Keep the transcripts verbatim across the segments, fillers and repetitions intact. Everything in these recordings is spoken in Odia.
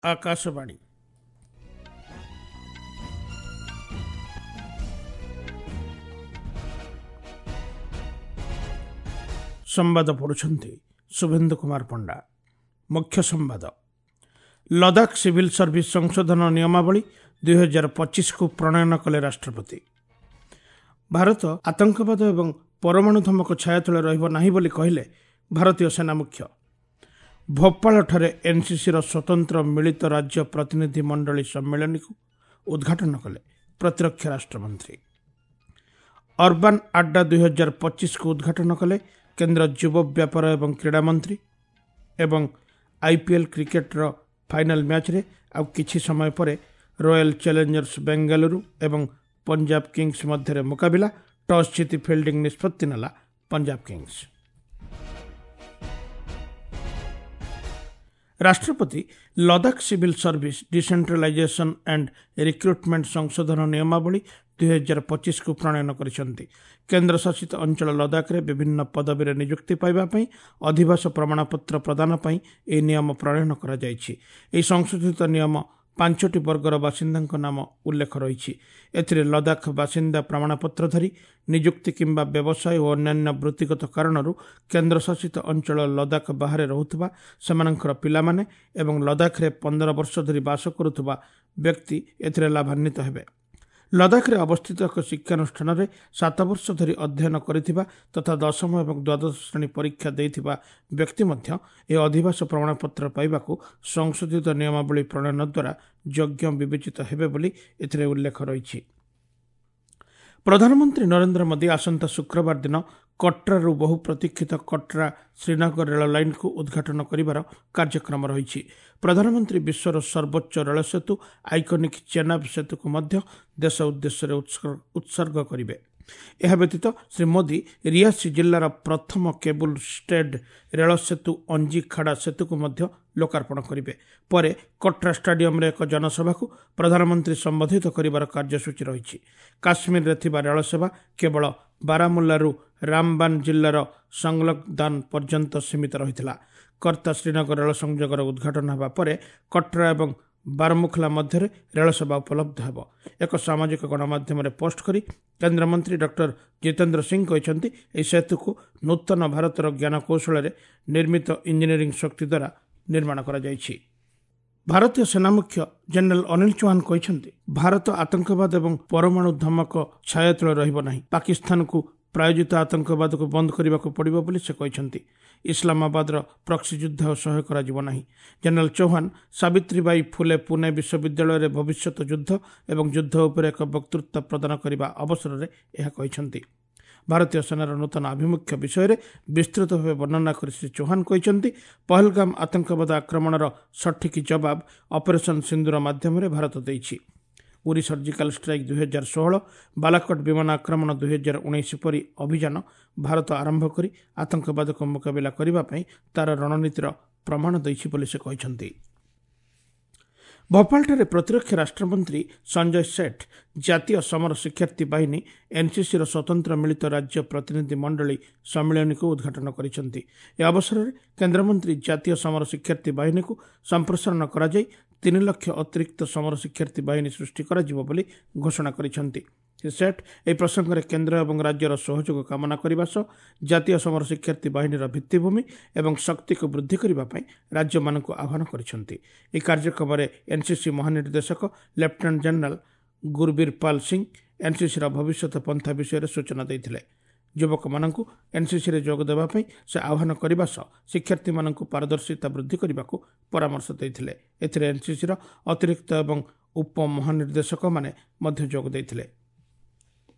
ଆକାଶବାଣୀ। ସମ୍ବାଦ ପଢ଼ୁଛନ୍ତି ଶୁଭେନ୍ଦୁ କୁମାର ପଣ୍ଡା। ମୁଖ୍ୟ ସମ୍ବାଦ। ଲଦାଖ ସିଭିଲ୍ ସର୍ଭିସ ସଂଶୋଧନ ନିୟମାବଳୀ ଦୁଇହଜାର ପଚିଶକୁ ପ୍ରଣୟନ କଲେ ରାଷ୍ଟ୍ରପତି। ଭାରତ ଆତଙ୍କବାଦ ଏବଂ ପରମାଣୁ ଧମକ ଛାୟା ତଳେ ରହିବ ନାହିଁ ବୋଲି କହିଲେ ଭାରତୀୟ ସେନା ମୁଖ୍ୟ। ଭୋପାଳଠାରେ ଏନ୍ସିସିର ସ୍ୱତନ୍ତ୍ର ମିଳିତ ରାଜ୍ୟ ପ୍ରତିନିଧି ମଣ୍ଡଳୀ ସମ୍ମିଳନୀକୁ ଉଦ୍ଘାଟନ କଲେ ପ୍ରତିରକ୍ଷା ରାଷ୍ଟ୍ରମନ୍ତ୍ରୀ। ଅର୍ବାନ୍ ଆଡ୍ଡା ଦୁଇହଜାର ପଚିଶକୁ ଉଦ୍ଘାଟନ କଲେ କେନ୍ଦ୍ର ଯୁବ ବ୍ୟାପାର ଏବଂ କ୍ରୀଡ଼ା ମନ୍ତ୍ରୀ। ଏବଂ ଆଇପିଏଲ୍ କ୍ରିକେଟର ଫାଇନାଲ୍ ମ୍ୟାଚ୍ରେ ଆଉ କିଛି ସମୟ ପରେ ରୟାଲ୍ ଚ୍ୟାଲେଞ୍ଜର୍ସ ବେଙ୍ଗାଲୁରୁ ଏବଂ ପଞ୍ଜାବ କିଙ୍ଗସ୍ ମଧ୍ୟରେ ମୁକାବିଲା। ଟସ୍ ଜିତି ଫିଲ୍ଡିଂ ନିଷ୍ପତ୍ତି ନେଲା ପଞ୍ଜାବ କିଙ୍ଗସ୍। ରାଷ୍ଟ୍ରପତି Ladakh civil service decentralisation and recruitment ସଂଶୋଧନ ନିୟମାବଳୀ ଦୁଇହଜାର ପଚିଶକୁ ପ୍ରଣୟନ କରିଛନ୍ତି। କେନ୍ଦ୍ରଶାସିତ ଅଞ୍ଚଳ ଲଦାଖରେ ବିଭିନ୍ନ ପଦବୀରେ ନିଯୁକ୍ତି ପାଇବା ପାଇଁ ଅଧିବାସ ପ୍ରମାଣପତ୍ର ପ୍ରଦାନ ପାଇଁ ଏହି ନିୟମ ପ୍ରଣୟନ କରାଯାଇଛି। ଏହି ସଂଶୋଧିତ ନିୟମ ପାଞ୍ଚଟି ବର୍ଗର ବାସିନ୍ଦାଙ୍କ ନାମ ଉଲ୍ଲେଖ ରହିଛି। ଏଥିରେ ଲଦାଖ ବାସିନ୍ଦା ପ୍ରମାଣପତ୍ରଧାରୀ, ନିଯୁକ୍ତି କିମ୍ବା ବ୍ୟବସାୟ ଓ ଅନ୍ୟାନ୍ୟ ବୃତ୍ତିଗତ କାରଣରୁ କେନ୍ଦ୍ରଶାସିତ ଅଞ୍ଚଳ ଲଦାଖ ବାହାରେ ରହୁଥିବା ସେମାନଙ୍କର ପିଲାମାନେ ଏବଂ ଲଦାଖରେ ପନ୍ଦର ବର୍ଷ ଧରି ବାସ କରୁଥିବା ବ୍ୟକ୍ତି ଏଥିରେ ଲାଭାନ୍ୱିତ ହେବେ। ଲଦାଖରେ ଅବସ୍ଥିତ ଏକ ଶିକ୍ଷାନୁଷ୍ଠାନରେ ସାତ ବର୍ଷ ଧରି ଅଧ୍ୟୟନ କରିଥିବା ତଥା ଦଶମ ଏବଂ ଦ୍ୱାଦଶ ଶ୍ରେଣୀ ପରୀକ୍ଷା ଦେଇଥିବା ବ୍ୟକ୍ତି ମଧ୍ୟ ଏହି ଅଧିବାସ ପ୍ରମାଣପତ୍ର ପାଇବାକୁ ସଂଶୋଧିତ ନିୟମାବଳୀ ପ୍ରଣୟନ ଦ୍ୱାରା ଯୋଗ୍ୟ ବିବେଚିତ ହେବେ ବୋଲି ଏଥିରେ ଉଲ୍ଲେଖ ରହିଛି। ପ୍ରଧାନମନ୍ତ୍ରୀ ନରେନ୍ଦ୍ର ମୋଦି ଆସନ୍ତା ଶୁକ୍ରବାର ଦିନ କଟ୍ରାରୁ ବହୁ ପ୍ରତୀକ୍ଷିତ କଟ୍ରା ଶ୍ରୀନଗର ରେଳ ଲାଇନ୍କୁ ଉଦ୍ଘାଟନ କରିବାର କାର୍ଯ୍ୟକ୍ରମ ରହିଛି। ପ୍ରଧାନମନ୍ତ୍ରୀ ବିଶ୍ୱର ସର୍ବୋଚ୍ଚ ରେଳ ସେତୁ ଆଇକନିକ୍ ଚେନାବ ସେତୁକୁ ମଧ୍ୟ ଦେଶ ଉଦ୍ଦେଶ୍ୟରେ ଉତ୍ସର୍ଗ କରିବେ। ଏହା ବ୍ୟତୀତ ଶ୍ରୀ ମୋଦି ରିୟାସି ଜିଲ୍ଲାର ପ୍ରଥମ କେବୁଲ ଷ୍ଟେଡ୍ ରେଳ ସେତୁ ଅଞ୍ଜିଖାଡ଼ା ସେତୁକୁ ମଧ୍ୟ ଲୋକାର୍ପଣ କରିବେ। ପରେ କଟ୍ରା ଷ୍ଟାଡିୟମରେ ଏକ ଜନସଭାକୁ ପ୍ରଧାନମନ୍ତ୍ରୀ ସମ୍ବୋଧିତ କରିବାର କାର୍ଯ୍ୟସୂଚୀ ରହିଛି। କାଶ୍ମୀରରେ ଥିବା ରେଳସେବା କେବଳ ବାରାମୁଲ୍ଲାରୁ ରାମବାନ ଜିଲ୍ଲାର ସଂଲଗ୍ଦାନ ପର୍ଯ୍ୟନ୍ତ ସୀମିତ ରହିଥିଲା। କର୍ତ୍ତା ଶ୍ରୀନଗର ରେଳ ସଂଯୋଗର ଉଦ୍ଘାଟନ ହେବା ପରେ କଟ୍ରା ଏବଂ ବାରମୁଖଲା ମଧ୍ୟରେ ରେଳସେବା ଉପଲବ୍ଧ ହେବ। ଏକ ସାମାଜିକ ଗଣମାଧ୍ୟମରେ ପୋଷ୍ଟ କରି କେନ୍ଦ୍ରମନ୍ତ୍ରୀ ଡକ୍ଟର ଜିତେନ୍ଦ୍ର ସିଂ କହିଛନ୍ତି, ଏହି ସେତୁକୁ ନୂତନ ଭାରତର ଜ୍ଞାନକୌଶଳରେ ନିର୍ମିତ ଇଞ୍ଜିନିୟରିଂ ଶକ୍ତି ଦ୍ୱାରା ନିର୍ମାଣ କରାଯାଇଛି। ଭାରତୀୟ ସେନା ମୁଖ୍ୟ ଜେନେରାଲ ଅନିଲ ଚୌହାନ କହିଛନ୍ତି, ଭାରତ ଆତଙ୍କବାଦ ଏବଂ ପରମାଣୁ ଧମକ ଛାୟା ତଳେ ରହିବ ନାହିଁ। ପାକିସ୍ତାନକୁ ପ୍ରାୟୋଜିତ ଆତଙ୍କବାଦକୁ ବନ୍ଦ କରିବାକୁ ପଡ଼ିବ ବୋଲି ସେ କହିଛନ୍ତି। ଇସଲାମାବାଦର ପ୍ରକ୍ସି ଯୁଦ୍ଧ ସହ୍ୟ କରାଯିବ ନାହିଁ। ଜେନେରାଲ ଚୌହାନ ସାବିତ୍ରୀବାଇ ଫୁଲେ ପୁନେ ବିଶ୍ୱବିଦ୍ୟାଳୟରେ ଭବିଷ୍ୟତ ଯୁଦ୍ଧ ଏବଂ ଯୁଦ୍ଧ ଉପରେ ଏକ ବକ୍ତୃତା ପ୍ରଦାନ କରିବା ଅବସରରେ ଏହା କହିଛନ୍ତି। ଭାରତୀୟ ସେନାର ନୂତନ ଆଭିମୁଖ୍ୟ ବିଷୟରେ ବିସ୍ତୃତ ଭାବେ ବର୍ଣ୍ଣନା କରି ଶ୍ରୀ ଚୌହାନ କହିଛନ୍ତି, ପହଲଗାମ ଆତଙ୍କବାଦ ଆକ୍ରମଣର ସଠିକ୍ ଜବାବ ଅପରେସନ୍ ସିନ୍ଦୁର ମାଧ୍ୟମରେ ଭାରତ ଦେଇଛି। ଉରି ସର୍ଜିକାଲ ଷ୍ଟ୍ରାଇକ୍ ଦୁଇହଜାର ଷୋହଳ, ବାଲାକୋଟ ବିମାନ ଆକ୍ରମଣ ଦୁଇହଜାର ଉଣେଇଶ ପରି ଅଭିଯାନ ଭାରତ ଆରମ୍ଭ କରି ଆତଙ୍କବାଦକୁ ମୁକାବିଲା କରିବା ପାଇଁ ତା'ର ରଣନୀତିର ପ୍ରମାଣ ଦେଇଛି ବୋଲି ସେ କହିଛନ୍ତି। ଭୋପାଳଠାରେ ପ୍ରତିରକ୍ଷା ରାଷ୍ଟ୍ରମନ୍ତ୍ରୀ ସଞ୍ଜୟ ସେଠ ଜାତୀୟ ସମର ଶିକ୍ଷାର୍ଥୀ ବାହିନୀ ଏନ୍ସିସିର ସ୍ୱତନ୍ତ୍ର ମିଳିତ ରାଜ୍ୟ ପ୍ରତିନିଧି ମଣ୍ଡଳୀ ସମ୍ମିଳନୀକୁ ଉଦ୍ଘାଟନ କରିଛନ୍ତି। ଏହି ଅବସରରେ କେନ୍ଦ୍ରମନ୍ତ୍ରୀ ଜାତୀୟ ସମର ଶିକ୍ଷାର୍ଥୀ ବାହିନୀକୁ ସମ୍ପ୍ରସାରଣ କରାଯାଇ ତିନି ଲକ୍ଷ ଅତିରିକ୍ତ ସମର ଶିକ୍ଷାର୍ଥୀ ବାହିନୀ ସୃଷ୍ଟି କରାଯିବ ବୋଲି ଘୋଷଣା କରିଛନ୍ତି। ଶ୍ରୀ ସେଠ ଏହି ପ୍ରସଙ୍ଗରେ କେନ୍ଦ୍ର ଏବଂ ରାଜ୍ୟର ସହଯୋଗ କାମନା କରିବା ସହ ଜାତୀୟ ସମର ଶିକ୍ଷାର୍ଥୀ ବାହିନୀର ଭିତ୍ତିଭୂମି ଏବଂ ଶକ୍ତିକୁ ବୃଦ୍ଧି କରିବା ପାଇଁ ରାଜ୍ୟମାନଙ୍କୁ ଆହ୍ୱାନ କରିଛନ୍ତି। ଏହି କାର୍ଯ୍ୟକ୍ରମରେ ଏନ୍ସିସି ମହାନିର୍ଦ୍ଦେଶକ ଲେଫ୍ଟନାଣ୍ଟ ଜେନେରାଲ ଗୁରବୀର ପାଲ ସିଂ ଏନ୍ସିସିର ଭବିଷ୍ୟତ ପନ୍ଥା ବିଷୟରେ ସୂଚନା ଦେଇଥିଲେ। ଯୁବକମାନଙ୍କୁ ଏନ୍ସିସିରେ ଯୋଗ ଦେବା ପାଇଁ ସେ ଆହ୍ୱାନ କରିବା ସହ ଶିକ୍ଷାର୍ଥୀମାନଙ୍କୁ ପାରଦର୍ଶିତା ବୃଦ୍ଧି କରିବାକୁ ପରାମର୍ଶ ଦେଇଥିଲେ। ଏଥିରେ ଏନ୍ସିସିର ଅତିରିକ୍ତ ଏବଂ ଉପମହାନିର୍ଦ୍ଦେଶକମାନେ ମଧ୍ୟ ଯୋଗ ଦେଇଥିଲେ।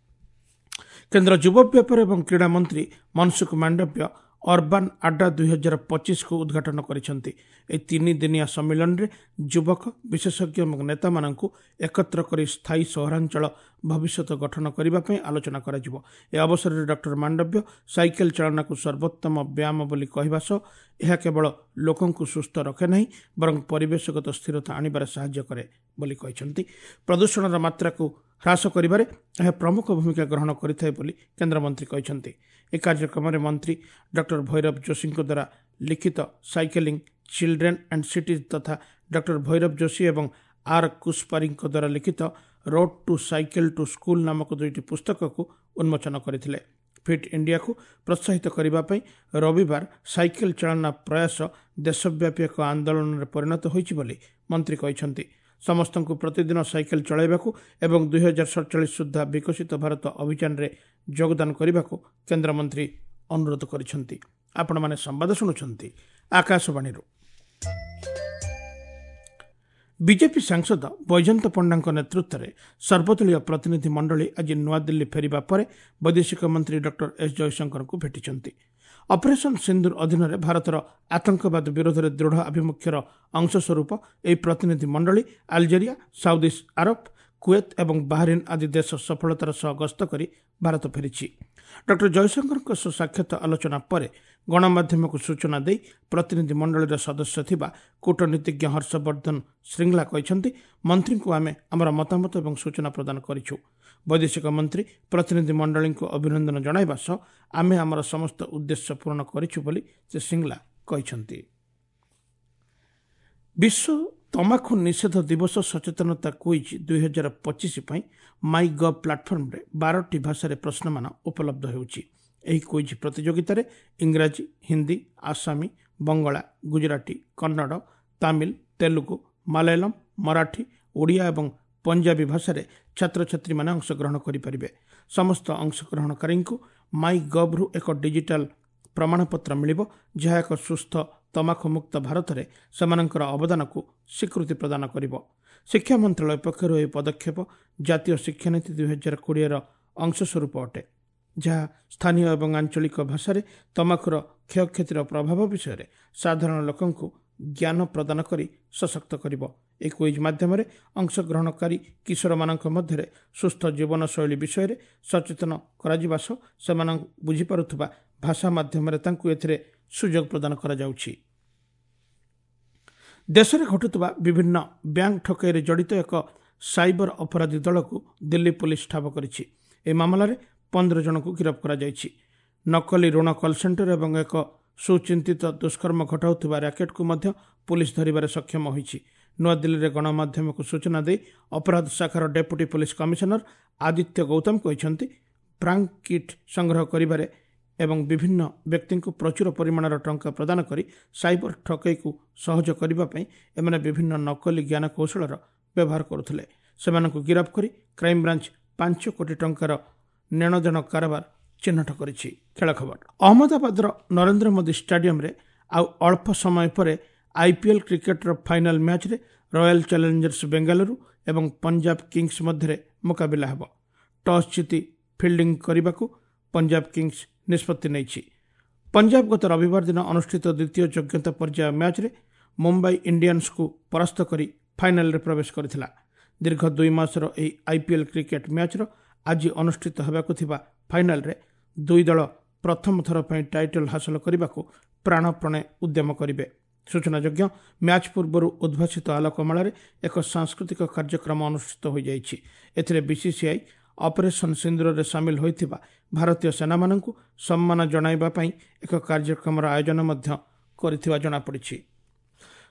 କେନ୍ଦ୍ର ଯୁବ ବ୍ୟାପାର ଏବଂ କ୍ରୀଡ଼ା ମନ୍ତ୍ରୀ ମନସୁଖ ମାଣ୍ଡବ୍ୟ ଅର୍ବାନ୍ ଆଡ୍ଡା ଦୁଇହଜାର ପଚିଶକୁ ଉଦ୍ଘାଟନ କରିଛନ୍ତି। ଏହି ତିନି ଦିନିଆ ସମ୍ମିଳନୀରେ ଯୁବକ, ବିଶେଷଜ୍ଞ ଏବଂ ନେତାମାନଙ୍କୁ ଏକତ୍ର କରି ସ୍ଥାୟୀ ସହରାଞ୍ଚଳ ଭବିଷ୍ୟତ ଗଠନ କରିବା ପାଇଁ ଆଲୋଚନା କରାଯିବ। ଏହି ଅବସରରେ ଡକ୍ଟର ମାଣ୍ଡବ୍ୟ ସାଇକେଲ ଚାଳନାକୁ ସର୍ବୋତ୍ତମ ବ୍ୟାୟାମ ବୋଲି କହିବା ସହ ଏହା କେବଳ ଲୋକଙ୍କୁ ସୁସ୍ଥ ରଖେ ନାହିଁ ବରଂ ପରିବେଶଗତ ସ୍ଥିରତା ଆଣିବାରେ ସାହାଯ୍ୟ କରେ ବୋଲି କହିଛନ୍ତି। ପ୍ରଦୂଷଣର ମାତ୍ରାକୁ ହ୍ରାସ କରିବାରେ ଏହା ପ୍ରମୁଖ ଭୂମିକା ଗ୍ରହଣ କରିଥାଏ ବୋଲି କେନ୍ଦ୍ରମନ୍ତ୍ରୀ କହିଛନ୍ତି। ଏହି କାର୍ଯ୍ୟକ୍ରମରେ ମନ୍ତ୍ରୀ ଡକ୍ଟର ଭୈରବ ଯୋଶୀଙ୍କ ଦ୍ୱାରା ଲିଖିତ ସାଇକେଲିଂ ଚିଲଡ୍ରେନ୍ ଆଣ୍ଡ ସିଟିଜ୍ ତଥା ଡକ୍ଟର ଭୈରବ ଯୋଶୀ ଏବଂ ଆର୍ କୁସ୍ପାରିଙ୍କ ଦ୍ୱାରା ଲିଖିତ road to cycle to school ନାମକ ଦୁଇଟି ପୁସ୍ତକକୁ ଉନ୍ମୋଚନ କରିଥିଲେ। ଫିଟ୍ ଇଣ୍ଡିଆକୁ ପ୍ରୋତ୍ସାହିତ କରିବା ପାଇଁ ରବିବାର ସାଇକେଲ ଚାଳନା ପ୍ରୟାସ ଦେଶବ୍ୟାପୀ ଏକ ଆନ୍ଦୋଳନରେ ପରିଣତ ହୋଇଛି ବୋଲି ମନ୍ତ୍ରୀ କହିଛନ୍ତି। ସମସ୍ତଙ୍କୁ ପ୍ରତିଦିନ ସାଇକେଲ ଚଳାଇବାକୁ ଏବଂ ଦୁଇହଜାର ସଡ଼ଚାଳିଶ ସୁଦ୍ଧା ବିକଶିତ ଭାରତ ଅଭିଯାନରେ ଯୋଗଦାନ କରିବାକୁ କେନ୍ଦ୍ରମନ୍ତ୍ରୀ ଅନୁରୋଧ କରିଛନ୍ତି। ଆପଣମାନେ ସମ୍ବାଦ ଶୁଣୁଛନ୍ତି ଆକାଶବାଣୀରୁ। ବିଜେପି ସାଂସଦ ବୈଜୟନ୍ତ ପଣ୍ଡାଙ୍କ ନେତୃତ୍ୱରେ ସର୍ବଦଳୀୟ ପ୍ରତିନିଧି ମଣ୍ଡଳୀ ଆଜି ନୂଆଦିଲ୍ଲୀ ଫେରିବା ପରେ ବୈଦେଶିକ ମନ୍ତ୍ରୀ ଡକ୍ଟର ଏସ୍ ଜୟଶଙ୍କରଙ୍କୁ ଭେଟିଛନ୍ତି। ଅପରେସନ୍ ସିନ୍ଦୁର ଅଧୀନରେ ଭାରତର ଆତଙ୍କବାଦ ବିରୋଧରେ ଦୃଢ଼ ଆଭିମୁଖ୍ୟର ଅଂଶସ୍ୱରୂପ ଏହି ପ୍ରତିନିଧି ମଣ୍ଡଳୀ ଆଲଜେରିଆ, ସାଉଦି ଆରବ, କୁଏତ ଏବଂ ବାହରିନ୍ ଆଦି ଦେଶ ସଫଳତାର ସହ ଗସ୍ତ କରି ଭାରତ ଫେରିଛି। ଡକ୍ଟର ଜୟଶଙ୍କରଙ୍କ ସହ ସାକ୍ଷାତ ଆଲୋଚନା ପରେ ଗଣମାଧ୍ୟମକୁ ସୂଚନା ଦେଇ ପ୍ରତିନିଧି ମଣ୍ଡଳୀର ସଦସ୍ୟ ଥିବା କୂଟନୀତିଜ୍ଞ ହର୍ଷବର୍ଦ୍ଧନ ଶ୍ରୀଙ୍ଗଲା କହିଛନ୍ତି, ମନ୍ତ୍ରୀଙ୍କୁ ଆମେ ଆମର ମତାମତ ଏବଂ ସୂଚନା ପ୍ରଦାନ କରିଛୁ। ବୈଦେଶିକ ମନ୍ତ୍ରୀ ପ୍ରତିନିଧି ମଣ୍ଡଳୀଙ୍କୁ ଅଭିନନ୍ଦନ ଜଣାଇବା ସହ ଆମେ ଆମର ସମସ୍ତ ଉଦ୍ଦେଶ୍ୟ ପୂରଣ କରିଛୁ ବୋଲି ଶ୍ରୀ ଶ୍ରୀଙ୍ଗଲା କହିଛନ୍ତି। ବିଶ୍ୱ ତମାଖୁ ନିଷେଧ ଦିବସ ସଚେତନତା କୁଇଜ୍ ଦୁଇହଜାର ପଚିଶ ପାଇଁ ମାଇ ଗଭ୍ ପ୍ଲାଟଫର୍ମରେ ବାରଟି ଭାଷାରେ ପ୍ରଶ୍ନମାନ ଉପଲବ୍ଧ ହେଉଛି। ଏହି କୁଇଜ୍ ପ୍ରତିଯୋଗିତାରେ ଇଂରାଜୀ, ହିନ୍ଦୀ, ଆସାମୀ, ବଙ୍ଗଳା, ଗୁଜରାଟୀ, କନ୍ନଡ଼, ତାମିଲ, ତେଲୁଗୁ, ମାଲୟାଲମ, ମରାଠୀ, ଓଡ଼ିଆ ଏବଂ ପଞ୍ଜାବୀ ଭାଷାରେ ଛାତ୍ରଛାତ୍ରୀମାନେ ଅଂଶଗ୍ରହଣ କରିପାରିବେ। ସମସ୍ତ ଅଂଶଗ୍ରହଣକାରୀଙ୍କୁ ମାଇ ଗଭ୍ରୁ ଏକ ଡିଜିଟାଲ ପ୍ରମାଣପତ୍ର ମିଳିବ, ଯାହା ଏକ ସୁସ୍ଥ ତମାଖୁମୁକ୍ତ ଭାରତରେ ସେମାନଙ୍କର ଅବଦାନକୁ ସ୍ୱୀକୃତି ପ୍ରଦାନ କରିବ। ଶିକ୍ଷା ମନ୍ତ୍ରାଳୟ ପକ୍ଷରୁ ଏହି ପଦକ୍ଷେପ ଜାତୀୟ ଶିକ୍ଷାନୀତି ଦୁଇହଜାର କୋଡ଼ିଏର ଅଂଶସ୍ୱରୂପ ଅଟେ, ଯାହା ସ୍ଥାନୀୟ ଏବଂ ଆଞ୍ଚଳିକ ଭାଷାରେ ତମାଖୁର କ୍ଷୟକ୍ଷତିର ପ୍ରଭାବ ବିଷୟରେ ସାଧାରଣ ଲୋକଙ୍କୁ ଜ୍ଞାନ ପ୍ରଦାନ କରି ସଶକ୍ତ କରିବ। ଏହି କୁଇଜ୍ ମାଧ୍ୟମରେ ଅଂଶଗ୍ରହଣକାରୀ କିଶୋରମାନଙ୍କ ମଧ୍ୟରେ ସୁସ୍ଥ ଜୀବନଶୈଳୀ ବିଷୟରେ ସଚେତନ କରାଯିବା ସହ ସେମାନଙ୍କୁ ବୁଝିପାରୁଥିବା ଭାଷା ମାଧ୍ୟମରେ ତାଙ୍କୁ ଏଥିରେ ସୁଯୋଗ ପ୍ରଦାନ କରାଯାଉଛି। ଦେଶରେ ଘଟୁଥିବା ବିଭିନ୍ନ ବ୍ୟାଙ୍କ ଠକେଇରେ ଜଡ଼ିତ ଏକ ସାଇବର ଅପରାଧୀ ଦଳକୁ ଦିଲ୍ଲୀ ପୋଲିସ ଠାବ କରିଛି। ଏହି ମାମଲାରେ ପନ୍ଦର ଜଣଙ୍କୁ ଗିରଫ କରାଯାଇଛି। ନକଲି ଋଣ କଲ୍ ସେଣ୍ଟର ଏବଂ ଏକ ସୁଚିନ୍ତିତ ଦୁଷ୍କର୍ମ ଘଟାଉଥିବା ର୍ୟାକେଟ୍କୁ ମଧ୍ୟ ପୋଲିସ ଧରିବାରେ ସକ୍ଷମ ହୋଇଛି। ନୂଆଦିଲ୍ଲୀରେ ଗଣମାଧ୍ୟମକୁ ସୂଚନା ଦେଇ ଅପରାଧ ଶାଖାର deputy police commissioner Aditya Gautam କହିଛନ୍ତି, ବ୍ରାଙ୍କ କିଟ୍ ସଂଗ୍ରହ କରିବାରେ ଏବଂ ବିଭିନ୍ନ ବ୍ୟକ୍ତିଙ୍କୁ ପ୍ରଚୁର ପରିମାଣର ଟଙ୍କା ପ୍ରଦାନ କରି ସାଇବର ଠକେଇକୁ ସହଜ କରିବା ପାଇଁ ଏମାନେ ବିଭିନ୍ନ ନକଲି ଜ୍ଞାନକୌଶଳର ବ୍ୟବହାର କରୁଥିଲେ। ସେମାନଙ୍କୁ ଗିରଫ କରି କ୍ରାଇମବ୍ରାଞ୍ଚ ପାଞ୍ଚ କୋଟି ଟଙ୍କାର ନେଣଦେଣ କାରବାର ଚିହ୍ନଟ କରିଛି। ଖେଳ ଖବର। ଅହମ୍ମଦାବାଦର ନରେନ୍ଦ୍ର ମୋଦି ଷ୍ଟାଡିୟମରେ ଆଉ ଅଳ୍ପ ସମୟ ପରେ ଆଇପିଏଲ୍ କ୍ରିକେଟର ଫାଇନାଲ ମ୍ୟାଚ୍ରେ ରୟାଲ ଚ୍ୟାଲେଞ୍ଜର୍ସ ବେଙ୍ଗାଲୁରୁ ଏବଂ ପଞ୍ଜାବ କିଙ୍ଗସ୍ ମଧ୍ୟରେ ମୁକାବିଲା ହେବ। ଟସ୍ ଜିତି ଫିଲ୍ଡିଂ କରିବାକୁ ପଞ୍ଜାବ କିଙ୍ଗସ୍ ନିଷ୍ପତ୍ତି ନେଇଛି। ପଞ୍ଜାବ ଗତ ରବିବାର ଦିନ ଅନୁଷ୍ଠିତ ଦ୍ୱିତୀୟ ଯୋଗ୍ୟତା ପର୍ଯ୍ୟାୟ ମ୍ୟାଚ୍ରେ ମୁମ୍ବାଇ ଇଣ୍ଡିଆନ୍ସକୁ ପରାସ୍ତ କରି ଫାଇନାଲରେ ପ୍ରବେଶ କରିଥିଲା। ଦୀର୍ଘ ଦୁଇ ମାସର ଏହି ଆଇପିଏଲ୍ କ୍ରିକେଟ ମ୍ୟାଚ୍ର ଆଜି ଅନୁଷ୍ଠିତ ହେବାକୁ ଥିବା ଫାଇନାଲରେ ଦୁଇ ଦଳ ପ୍ରଥମ ଥର ପାଇଁ ଟାଇଟଲ୍ ହାସଲ କରିବାକୁ ପ୍ରାଣପଣେ ଉଦ୍ୟମ କରିବେ। ସୂଚନାଯୋଗ୍ୟ, ମ୍ୟାଚ୍ ପୂର୍ବରୁ ଉଦ୍ଭାସିତ ଆଲୋକମାଳାରେ ଏକ ସାଂସ୍କୃତିକ କାର୍ଯ୍ୟକ୍ରମ ଅନୁଷ୍ଠିତ ହୋଇଯାଇଛି। ଏଥିରେ ବିସିସିଆଇ ଅପରେସନ୍ ସିନ୍ଦୁରରେ ସାମିଲ ହୋଇଥିବା ଭାରତୀୟ ସେନାମାନଙ୍କୁ ସମ୍ମାନ ଜଣାଇବା ପାଇଁ ଏକ କାର୍ଯ୍ୟକ୍ରମର ଆୟୋଜନ ମଧ୍ୟ କରିଥିବା ଜଣାପଡ଼ିଛି।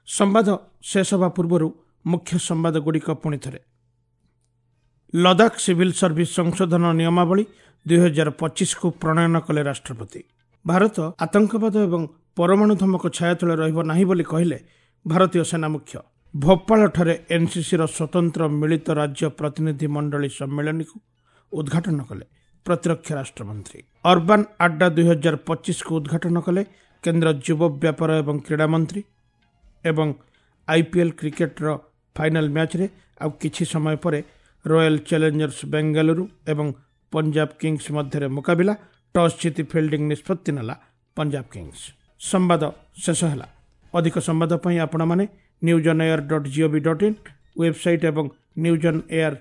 ସମ୍ବାଦ ଶେଷ ହେବା ପୂର୍ବରୁ ମୁଖ୍ୟ ସମ୍ବାଦଗୁଡ଼ିକ ପୁଣି ଥରେ। ଲଦାଖ ସିଭିଲ୍ ସର୍ଭିସ ସଂଶୋଧନ ନିୟମାବଳୀ ଦୁଇହଜାର ପଚିଶକୁ ପ୍ରଣୟନ କଲେ ରାଷ୍ଟ୍ରପତି। ଭାରତ ଆତଙ୍କବାଦ ଏବଂ ପରମାଣୁ ଧମକ ଛାୟା ତଳେ ରହିବ ନାହିଁ ବୋଲି କହିଲେ ଭାରତୀୟ ସେନା ମୁଖ୍ୟ। ଭୋପାଳଠାରେ ଏନ୍ସିସିର ସ୍ୱତନ୍ତ୍ର ମିଳିତ ରାଜ୍ୟ ପ୍ରତିନିଧି ମଣ୍ଡଳୀ ସମ୍ମିଳନୀକୁ ଉଦ୍ଘାଟନ କଲେ ପ୍ରତିରକ୍ଷା ରାଷ୍ଟ୍ରମନ୍ତ୍ରୀ। ଅର୍ବାନ୍ ଆଡ୍ଡା ଦୁଇହଜାର ପଚିଶକୁ ଉଦ୍ଘାଟନ କଲେ କେନ୍ଦ୍ର ଯୁବ ବ୍ୟାପାର ଏବଂ କ୍ରୀଡ଼ା ମନ୍ତ୍ରୀ। ଏବଂ ଆଇପିଏଲ୍ କ୍ରିକେଟର ଫାଇନାଲ ମ୍ୟାଚ୍ରେ ଆଉ କିଛି ସମୟ ପରେ ରୟାଲ ଚ୍ୟାଲେଞ୍ଜର୍ସ ବେଙ୍ଗାଲୁରୁ ଏବଂ ପଞ୍ଜାବ କିଙ୍ଗସ୍ ମଧ୍ୟରେ ମୁକାବିଲା। ଟସ୍ ଜିତି ଫିଲ୍ଡିଂ ନିଷ୍ପତ୍ତି ନେଲା ପଞ୍ଜାବ କିଙ୍ଗସ୍। ସମ୍ବାଦ ଶେଷ ହେଲା। ଅଧିକ ସମ୍ବାଦ ପାଇଁ ଆପଣମାନେ news on air dot gov dot in website ଏବଂ ନ୍ୟୁଜ୍ ଅନ୍ ଏୟାର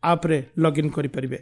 ଆପ୍ରେ ଲଗ୍ଇନ୍ କରିପାରିବେ।